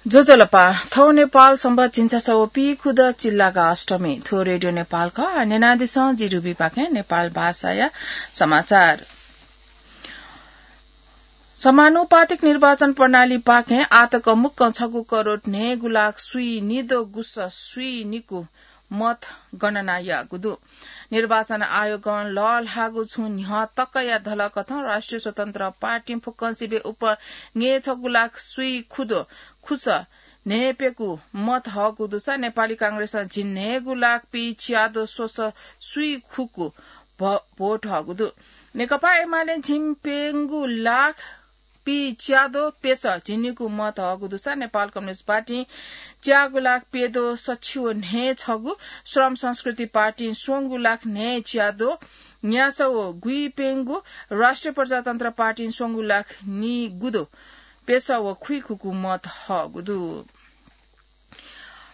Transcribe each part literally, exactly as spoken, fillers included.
ज्वजलपा, थौं नेपाल संवत् झिंछसः व पीखुदँ चिल्लागा अष्टमी। थ्व रेडियो नेपाल खः। न्यनादिसँ जि रुबीपाखें नेपाल भाषाया समाचार। समानुपातिक निर्वाचन प्रणालीपाखें आतक मुक्कं छगू करोड न्हय्‌गू लाख स्वीनिद्वः गुसः स्वीनिकू मत गणना याःगु दु। निर्वाचन आयोगं लःल्हाःगु छुं न्ह्यः तकया धलकथं राष्ट्रिय स्वतन्त्र पार्टीं फुक्कं सिबें उप न्हय्‌छगू लाख स्वीखुद्वः खुसः न्हय्‌प्यकू मत हःगु दुसा नेपाली कांग्रेसं झिंन्हय्‌गू लाख पीच्याद्वः स्वसः स्वीखुकू भ-, भोट हःगु दु। नेकपा एमालें झिंप्यंगू लाख पीच्याद्वः प्यसः झिंनिकू मत हःगु दुसा नेपाल कम्युनिस्ट पार्टीं च्यागू लाख प्यद्वः सछि व न्हय्‌छगू, श्रम संस्कृति पार्टीं स्वंगू लाख न्हय्‌च्याद्वः न्यासः व गुइप्यंगू, राष्ट्रिय प्रजातन्त्र पार्टीं स्वंगू लाख निगुद्वः प्यसः व खुइखुकू मत हःगु दु।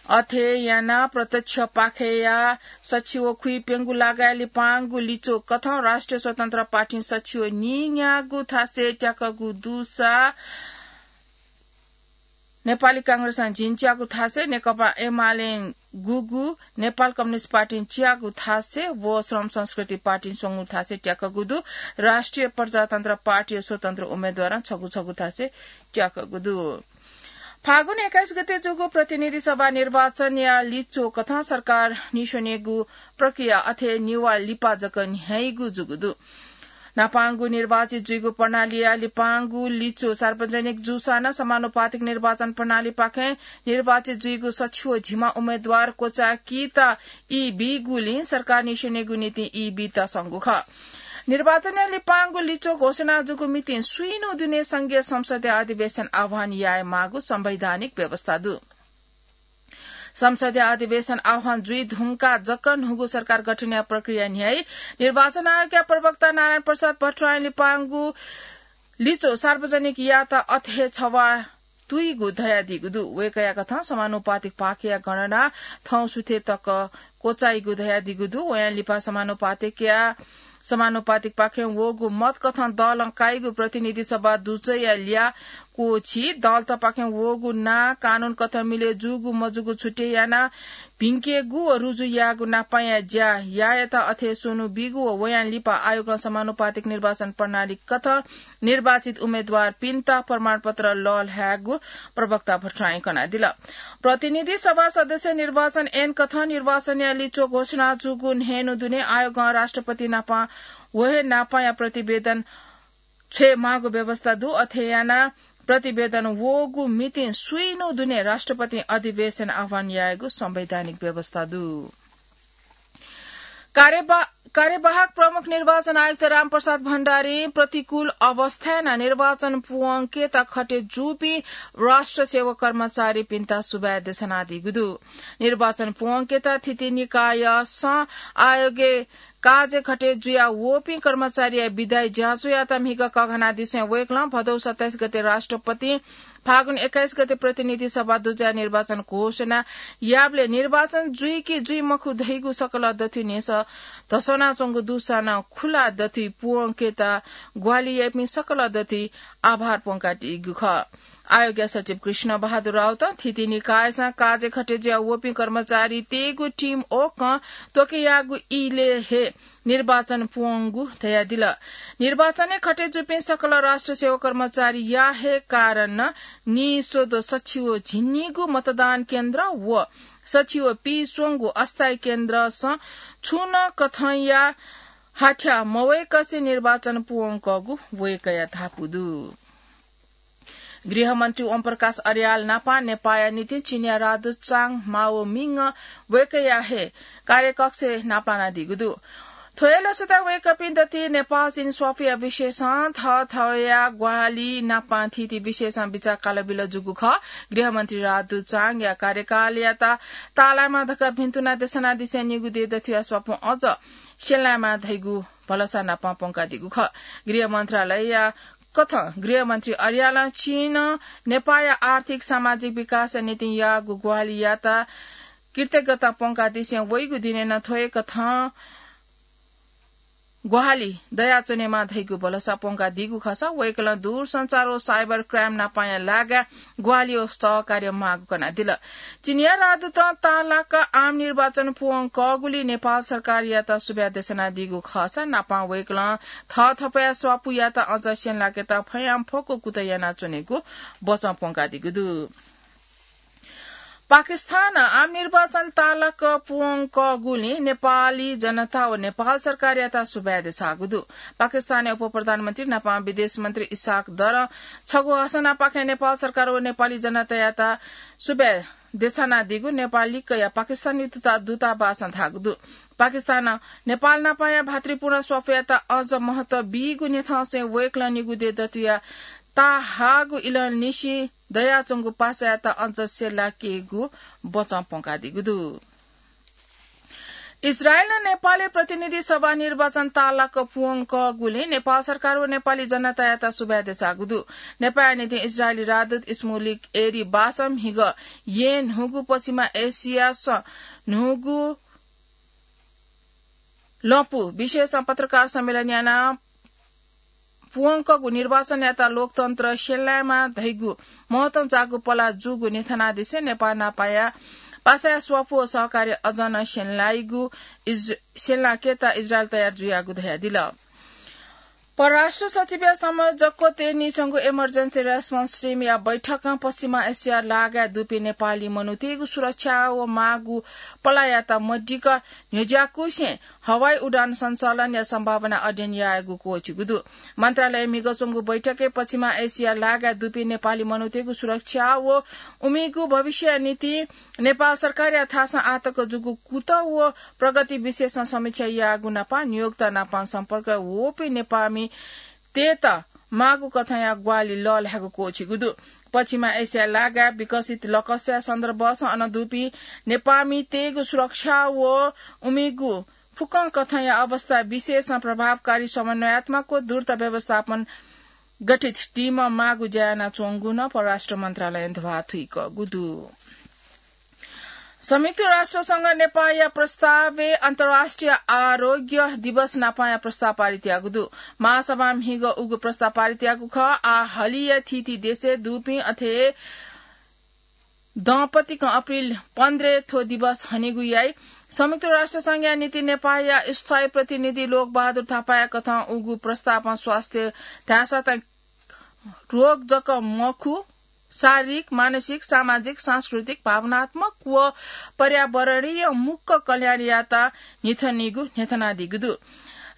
अथे यानाः प्रत्यक्ष पाखेया सछि व खुइप्यंगू लागाय् लिपांगु लिच्वः कथं राष्ट्रिय स्वतन्त्र पार्टीं सछि व नीन्यागू थासय् त्याकःगु दुसा नेपाली कांग्रेसं झिंच्यागू थासय्, नेकपा एमालें गुगू, नेपाल कम्युनिस्ट पार्टीं च्यागू थासय् व श्रम संस्कृति पार्टीं स्वंगू थासय् त्याकःगु दु। राष्ट्रिय प्रजातन्त्र पार्टी व स्वतन्त्र उम्मेदवारं छगू छगू थासय् त्याकःगु दु। फागुन एक्काइस गते जूगु प्रतिनिधि सभा निर्वाचनया लिच्वः कथं सरकार निस्वनेगु प्रक्रिया अथे निभाः लिपा जक न्ह्याइगु जूगु दु। न्हापांगु निर्वाचित जुइगु प्रणालीया लिपांगु लिच्वः सार्वजनिक जूसां नं समानुपातिक निर्वाचन प्रणालीपाखें निर्वाचित जुइगु सछि व झिम्मा उम्मेदवार क्वचाय्‌केत ई बीगुलिं सरकार निस्वनेगु निंतिं ई बीत संगु खः। निर्वाचनया लिपांगु लिच्वः घोषणा जूगु मितिं स्वीन्हु दुने संघीय संसदया अधिवेशन आह्वान यायेमाःगु संवैधानिक व्यवस्था दु। संसदया अधिवेशन आह्वान जुइ धुंकाः जक न्हूगु सरकार गठनया प्रक्रिया न्ह्याइ। निर्वाचन आयोगया प्रवक्ता नारायण प्रसाद भट्टराईं लिपांगु लिच्वः सार्वजनिक यायेत अथे छवाः तुइगु धयादीगु दु। वय्‌कःया कथं समानुपातिक पाखेया गणना थौं सुथय् तक क्वचाइगु धयादीगु दु। वयां लिपा समानुपातिकया, समानुपातिक पाखें वःगु मत कथं दलं काइगु प्रतिनिधि सभा दुजःया ल्याः क्वःछी, दलतपाखें वःगु नां कानून कथं मिलय् जूगु मजूगु छुट्टै यानाः भिंकेगु व रुजु यायेगु नापांया ज्या यायेत अथे स्वन्हु बीगु व वयां लिपा आयोगं समानुपातिक निर्वाचन प्रणाली कथं निर्वाचित उम्मेदवारपिन्त प्रमाणपत्र लःल्हायेगु प्रवक्ता भट्टराईं कनादिल। प्रतिनिधि सभा सदस्य निर्वाचन ऐन कथं निर्वाचनया लिच्वः घोषणा जूगु न्हय्‌न्हु दुने आयोगं राष्ट्रपति नाप व हे नापांया प्रतिवेदन छ्वयेमाःगु व्यवस्था दु। अथे यानाः प्रतिवेदन वःगु मितिं स्वीन्हु दुने राष्ट्रपतिं अधिवेशन आह्वान यायेगु संवैधानिक व्यवस्था दु। कार्यवा-, कार्यवाहक प्रमुख निर्वाचन आयुक्त रामप्रसाद भण्डारीं प्रतिकूल अवस्थाय् नं निर्वाचन पूवंकेत खटे जूपिं राष्ट्र सेवक कर्मचारीपिन्त सुभाय् देछानादीगु दु। निर्वाचन पूवंकेत थीथी निकायसं आयोगय् काजय् खटे जुया वःपिं कर्मचारीया बिदाइ ज्याझ्वःयात म्हिगः कःघानादिसें वय्‌कलं भदौ सत्ताइस गते राष्ट्रपतिं फागुन एक्काइस गते प्रतिनिधि सभा दुजःया निर्वाचन घोषणा याःबलय् निर्वाचन जुइ कि जुइ मखु धइगु सकल दथुइ न्ह्यसः धस्वानाच्वंगु दुसां नं खुला दथुइ पूवंकेत ग्वाहालि याइपिं सकल दथुइ आभार प्वंकादीगु खः। आयोगया सचिव कृष्ण बहादुर राउतं थीथी निकायसं काजय् खटे जुया वःपिं कर्मचारीतय्‌गु टिम ओकं त्वके याःगु इलय् हे निर्वाचन पूवंगु धयादिल। निर्वाचनय् खटे जूपिं सकल राष्ट्र सेवा कर्मचारीया हे कारणं निस्वद्वः सछि व झिंनिगू मतदान केन्द्र व सछि व पीस्वंगू अस्थायी केन्द्रसं छुं नं कथंया हाथ्या मवय्‌कसे निर्वाचन पूवंकःगु वय्‌कःया धापू दु। गृहमन्त्री ओमप्रकाश अर्याल नापं नेपाःया निंतिं चीनया राजदूत चाङ माओमिङ वय्‌कःया हे कार्यकक्षय् नापलानादीगु दु। थ्व हे लसताय् वय्‌कःपिं दथुइ नेपाल चीन स्वापुया विषयसं थःथःया ग्वाहालि नापं थीथी विषयसं बिचाः कालबिल जूगु खः। गृहमन्त्री राजदूत चाङया कार्यकालयात ताःलायेमाः धकाः भिन्तुना देछानादिसें निगू देय् दथुया स्वापुं अझ स्यनायेमाः धइगु भलसा नापं प्वंकादीगु खः। गृह मन्त्रालयया कथं गृहमन्त्री अर्यालं चीनं नेपाःया आर्थिक सामाजिक विकासया निंतिं याःगु ग्वाहालियात कृतज्ञता प्वंकादिसें वइगु दिनय् नं थ्व हे कथं ग्वाहालि दयाच्वनेमा धइगु भलसा प्वंकादीगु खःसा वय्कलं दूरसञ्चार व cyber crime नापांया लागाय् ग्वाहालि व सहकार्य माःगु कनादिल। चिनियाँ राजदूतं ताःलाक आम निर्वाचन पूवंकःगुलिं नेपाल सरकारयात सुभाय् देछानादीगु खःसा नापां वय्कलं थःथपया स्वापूयात अझ स्यनेलाकेत फयांफक्व कुतः यानाच्वनेगु बचं प्वंकादीगु दु। पाकिस्तानं आम निर्वाचन ताःलाक पूवंकःगुलिं नेपाली जनता व नेपाल सरकारयात सुभाय् देछाःगु दु। पाकिस्तानया उपप्रधानमन्त्री नापां विदेश मन्त्री इसाक दरं छगू हसनापाखें नेपाल सरकार व नेपाली जनतायात सुभाय् देछानादीगु नेपाल लिक्कया पाकिस्तानी दूता-, दूतावासं धाःगु दु। पाकिस्तानं नेपाल नापांया भातृपूर्ण स्वापूयात अझ महत्व बीगु न्ह्यथंसें वय्कलं निगू देय् दथुया ताःहाःगु इलंनिसें दयाच्वंगु पासायात अझ स्यलाकेगु बचं प्वंकादीगु दु। इजरायलं नेपालय् प्रतिनिधि सभा निर्वाचन ताःलाक पूवंकःगुलिं नेपाल सरकार व नेपाली जनतायात सुभाय् देछाःगु दु। नेपाःया निंतिं इजरायली राजदूत इस्मुलिक एरी बासं म्हिगः येँ न्हूगु पश्चिमा एसियास न्हूगु लँपु विषयसं पत्रकार सम्मेलन यानाः पूवंकःगु निर्वाचनयात लोकतन्त्र स्यनेलायेमा धइगु महत्वं जाःगु पला जूगु न्ह्यथनादिसें नेपाः नापाया पासाया स्वापू व सहकार्य अझ नं स्यनेलाइगु इज-, स्यनेलाकेत इजरायल तयार जुयागु धयादिल। परराष्ट्र सचिवया संयोजकत्वय् नीसंगु Emergency Response Team या बैठकं पश्चिमा एसिया लागाय् दुपिं नेपाली मनूतय्गु सुरक्षा व माःगु पलायात मदिक्क न्ह्यज्याकुसें हवाई उडान सञ्चालनया सम्भावना अध्ययन यायेगु क्वःछिगु दु। मन्त्रालयय् म्हिगः च्वंगु बैठकय् पश्चिमा एसिया लागाय् दुपिं नेपाली मनूतय्गु सुरक्षा व उमिगु भविष्यया निंतिं नेपाल सरकारया थासं आःतक जूगु कुतः व प्रगति विषयसं समीक्षा याःगु नापं नियोक्ता नापं सम्पर्क वःपिं नेपाःमितय्त माःगु कथंया ग्वाहालि लःल्हायेगु क्वःछिगु दु। पश्चिमा एसिया लागाय् विकसित लकसया सन्दर्भसं अन दुपिं नेपाःमितय्गु सुरक्षा व उमिगु फुक्कं कथंया अवस्था विषयसं प्रभावकारी समन्वयात्मक व द्रुत व्यवस्थापन गठित टीमं माःगु ज्या यानाच्वंगु नं परराष्ट्र मन्त्रालयं ध्वाथुइकःगु दु। संयुक्त राष्ट्र संघ नेपाःया प्रस्तावय् अन्तर्राष्ट्रिय आरोग्य दिवस नापंया प्रस्ताव पारित याःगु दु। महासभां म्हिगः उगु प्रस्ताव पारित याःगु खः। आः हलिया थीथी देशय् दुपिं अथे दम्पतिकं अप्रिल पन्ध्रय् थ्व दिवस हनेगु याइ। संयुक्त राष्ट्र संघया निंतिं नेपाःया स्थायी प्रतिनिधि लोकबहादुर थापाया कथं उगु प्रस्तावं स्वास्थ्य धाःसा त रोग जक मखु, शारीरिक, मानसिक, सामाजिक, सांस्कृतिक, भावनात्मक व पर्यावरणीय मुक्क कल्याणयात न्हिथनीगु न्ह्यथनादीगु दु।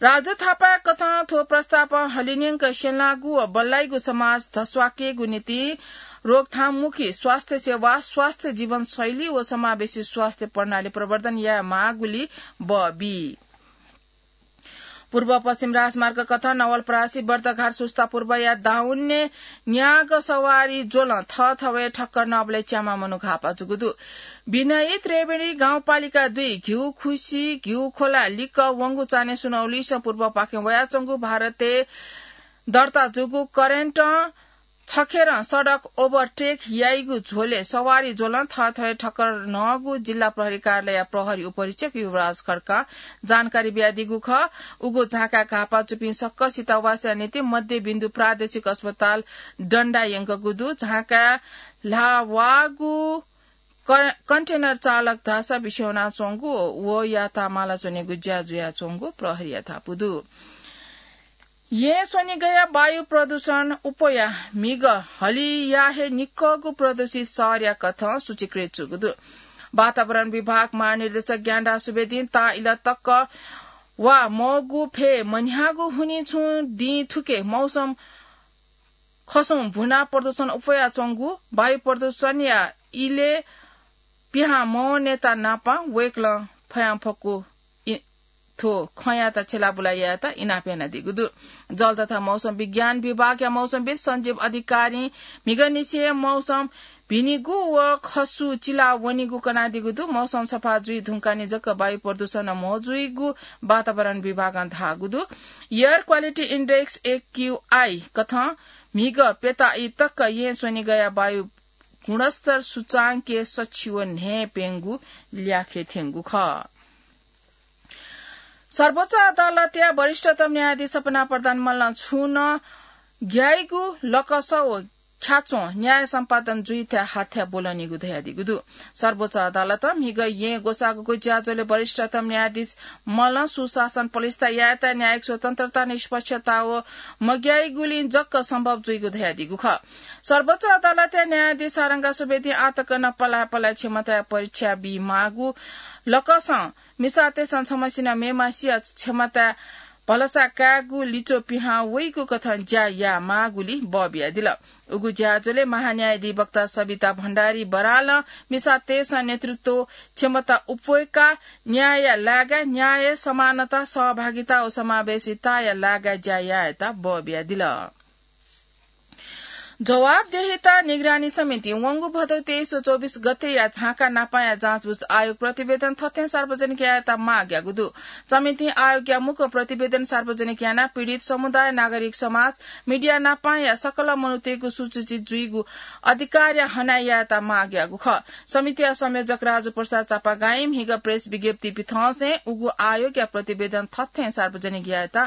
राजु थापाया कथं थ्व प्रस्तावं हलिंन्यंक स्यंलाःगु व बल्लाइगु समाज धस्वाकेगु निंतिं रोकथाममुखी स्वास्थ्य सेवा, स्वास्थ्य जीवनशैली व समावेशी स्वास्थ्य प्रणाली प्रवर्धन यायेमाःगुली बबी। पूर्व पश्चिम राजमार्ग कथं नवलपरासी बर्दघाट सुस्ता पूर्वया दाउन्ने न्याग सवारी ज्वलं थःथवय् ठक्कर नःबलय् च्याम्ह मनू घाःपा जूगु दु। विनयी त्रिवेणी गाउँपालिका दुई घिउखुसी घिउखोला लिक्क वंगु चान्हय् सुनौलीसं पूर्वपाखें वयाच्वंगु भारतय् दर्ता जूगु करेन्टं छखेरं सडक overtake याइगु झ्वलय् सवारी ज्वलं थःथवय् ठक्कर नःगु जिल्ला प्रहरी कार्यालयया प्रहरी उपरीक्षक युवराज खड्कां जानकारी बियादीगु खः। उगु झाँकाय् घाःपा जूपिं सकसित वासया निंतिं मध्यबिन्दु प्रादेशिक अस्पताल डन्डा यंकूगु दु। झाँकाय् ल्हाः वाःगु क-, कन्टेनर चालक धाःसा बिस्युं वनाच्वंगु व यातामाला च्वनेगु ज्या जुयाच्वंगु प्रहरीया धापू दु। येँ स्वनिगःया वायु प्रदूषण उपया म्हिगः हलिया हे निक्कःगु प्रदूषित शहरया कथं सूचीकृत जूगु दु। वातावरण विभाग महानिर्देशक ज्ञानराज सुवेदीं ताः इलः तक वा मौगु फय् मन्ह्याःगु हुनिं छुं दिं थुके मौसम खसुं भुना प्रदूषण उपयाच्वंगु वायु प्रदूषणया इलय् पिहां मवनेत नापं वय्कलं फयांफक्व इ-, थ्व खँयात छ्यलाबुला यायेत इनाप यानादीगु दु। जल तथा मौसम विज्ञान विभागया मौसमविद् सञ्जीव अधिकारीं म्हिगःनिसें मौसम भिनिगु व खसु चिला वनीगु कनादीगु दु। मौसम सफा जुइ धुंकाःनिं जक वायु प्रदूषण म्हो जुइगु वातावरण विभागं धाःगु दु। Air Quality Index, A Q I, कथं म्हिगः प्यताइ तक येँ स्वनिगःया वायु गुणस्तर सूचांकय् सछि व न्हय् प्यंगु ल्याखय् थ्यंगु खः। सर्वोच्च अदालतया वरिष्ठतम न्यायाधीश सपना प्रधान मल्लं छुं नं ग्याइगु लकस व ख्याच्वं न्याय सम्पादन जुइथाय् हाथ्याः ब्वलनीगु धयादीगु दु। सर्वोच्च अदालतं म्हिगः येँ ग्वसाःगु ज्याझ्वलय् वरिष्ठतम न्यायाधीश मल्लं सुशासन पलिस्था यायेत न्यायिक स्वतन्त्रता, निष्पक्षता व मग्याइगुलिं जक सम्भव जुइगु धयादीगु खः। सर्वोच्च अदालतया न्यायाधीश सारंगा सुवेदीं आःतक नं पलाः पलाः क्षमताया परीक्षा बी माःगु लकसं मिसातय्‌सं छम्हसिनं मेम्हसिया क्षमताय् भलसा कायेगु लिच्वः पिहां वइगु कथं ज्या याये माःगुलिं बः बियादिल। उगु ज्याझ्वलय् महान्यायाधिवक्ता सविता भण्डारी बरालं मिसातय्‌सं नेतृत्व क्षमता उप्वय्‌काः न्यायया लागाय् न्याय, समानता, सहभागिता व समावेशिताया लागाय् ज्या यायेत बः बियादिल। जवाफदेहिता निगरानी समितिं वंगु भदौ तेइस व चौबिस गतेया झाँक्री नापांया जाँचबुझ आयोग प्रतिवेदन थथें सार्वजनिक यायेत माग याःगु दु। समितिं आयोगया मुक्कं प्रतिवेदन सार्वजनिक यानाः पीडित समुदाय, नागरिक समाज, मिडिया नापांया सकल मनूतय्‌गु सुसूचित जुइगु अधिकारया हनाः यायेत माग याःगु खः। समितिया संयोजक राजु प्रसाद चापागाईं म्हिगः प्रेस विज्ञप्ति पिथंसें उगु आयोगया प्रतिवेदन थथें सार्वजनिक यायेत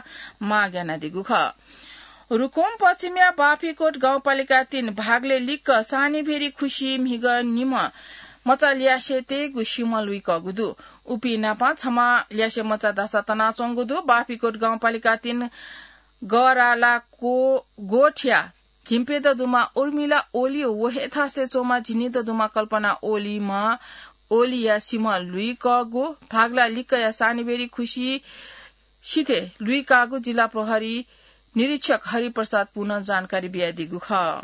माग यानादीगु खः। रुकुम पश्चिमया बाफीकोट गाउँपालिका तीन भागलय् लिक्क सानीभेरी खुसी म्हिगः निम्ह मचा ल्यासे तयेगु सिमः लुइकःगु दु। उपिं नाप छम्ह ल्यासे मचा धाःसा तनाच्वंगु दु। बाफीकोट गाउँपालिका तीन गराला को-, गोठया झिंप्यदँ दुम्ह उर्मिला ओली व हे थासय् च्वंम्ह झिंनिदँ दुम्ह कल्पना ओलीम्ह ओलीया सिमः लुइकःगु भागला लिक्कया सानीभेरी खुसी सिथय् लुइकाःगु जिल्ला प्रहरी निरीक्षक हरिप्रसाद पुनं जानकारी बियादीगु खः।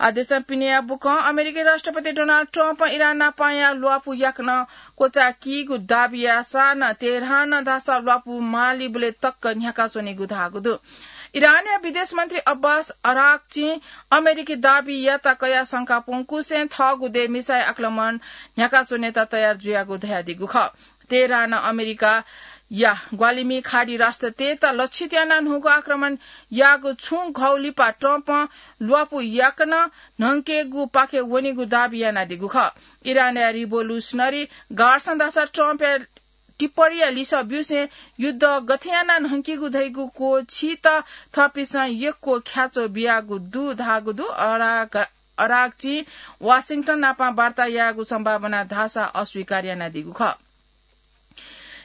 आः देशं पिनेया बुखँ अमेरिकी राष्ट्रपति डोनाल्ड ट्रम्पं इरान नापांया ल्वापु याकनं क्वचाय्‌कीगु दाबी याःसां नं तेहरानं धाःसा ल्वापु मालीबलय् तक न्ह्याकाच्वनीगु धाःगु दु। इरानया विदेश मन्त्री अब्बास अराक्चीं अमेरिकी दाबीयात कयाः शंका प्वंकुसें थःगु देय् मिसाइल आक्रमण न्ह्याकाच्वनेत तयार जुयागु धयादीगु खः। तेहरानं अमेरिकाया ग्वालिमि खाडी राष्ट्रतय्‌त लक्षित यानाः न्हूगु आक्रमण याःगु छुं घौ लिपा ट्रम्पं ल्वापु याकनं न्हंकेगुपाखे वनीगु दाबी यानादीगु खः। इरानया रिभोल्युसनरी गार्डसं धाःसा ट्रम्पया टिप्पणीया लिसः ब्यूसें युद्ध गथे यानाः न्हंकीगु धइगु क्वःछीत थःपिन्सं यक्व ख्याच्वः बियागु दु धाःगु दु। अराग-, अरागचिं वाशिंटन नाप वार्ता यायेगु सम्भावना धाःसा अस्वीकार यानादीगु खः।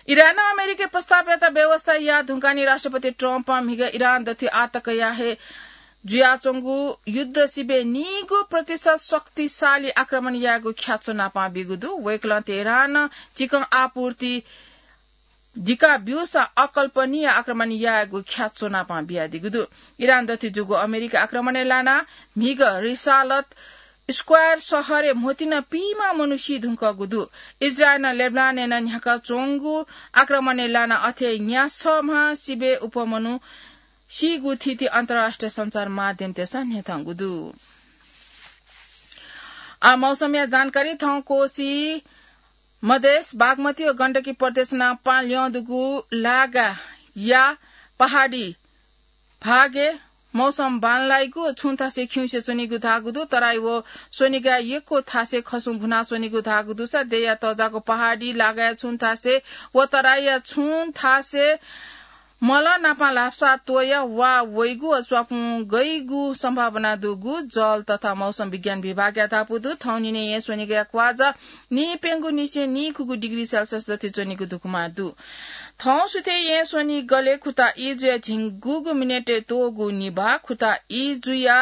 इरानं अमेरिकी प्रस्तावयात बेवास्ता याः धुंकाः नि राष्ट्रपति ट्रम्पं म्हिगः इरान दथुइ आःतकया हे जुयाच्वंगु युद्ध सिबय् नीगू प्रतिशत शक्तिशाली आक्रमण यायेगु ख्याच्वः नाप बीगु दु। वय्‌कलं तेहरानं चिकन आपूर्ति दिका ब्यूसां अकल्पनीय आक्रमण यायेगु ख्याच्वः नाप बियादीगु दु। इरान दथुइ जूगु अमेरिकी आक्रमणय् लानाः म्हिगः रिसालत स्क्वायर शहरय् म्होतिं पीम्ह मनू सी धुंकूगु दु। इजरायलं लेबनानय् नं न्ह्याकाच्वंगु आक्रमणय् लानाः अथे न्यासम्ह सिबय् उप्वः मनू सीगु थिति अन्तर्राष्ट्रिय सञ्चार माध्यमतय्‌सं न्ह्यथंगु दु। आः मौसमया जानकारी। थौं कोशी, मधेश, बागमती व गण्डकी प्रदेश नाप ल्यं दुगु लागाया पहाडी भागय् मौसम बांलाइगु, छुं थासय् खिउँसे च्वनीगु धाःगु दु। तराई व स्वनिगःया यक्व थासय् खसुं भुनाच्वनीगु धाःगु दुसा देय्‌या तःजाःगु पहाडी लागाया छुं थासय् व तराईया छुं थासय् मलं नाप ल्हापसा त्वःया वा वइगु व स्वापुं गइगु सम्भावना दुगु जल तथा मौसम विज्ञान विभागया धापू दु। थौंनिने येँ स्वनिगःया क्वाःझः नीप्यंगू निसें नीखुगू डिग्री सेल्सियस दथुइ च्वनीगु धुकुमा दु। थौं सुथय् येँ स्वनिगलय् खुता ई जुया झिंगूगु मिनेटय् त्वःगू निभाः, खुता ई जुया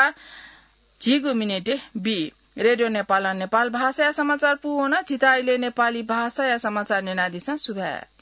झिगू मिनेटय् बी। रेडियो नेपालं नेपाल भाषाया समाचार पूवन। झीत अले नेपाली भाषाया समाचार न्यनादिसँ। सुभाय्।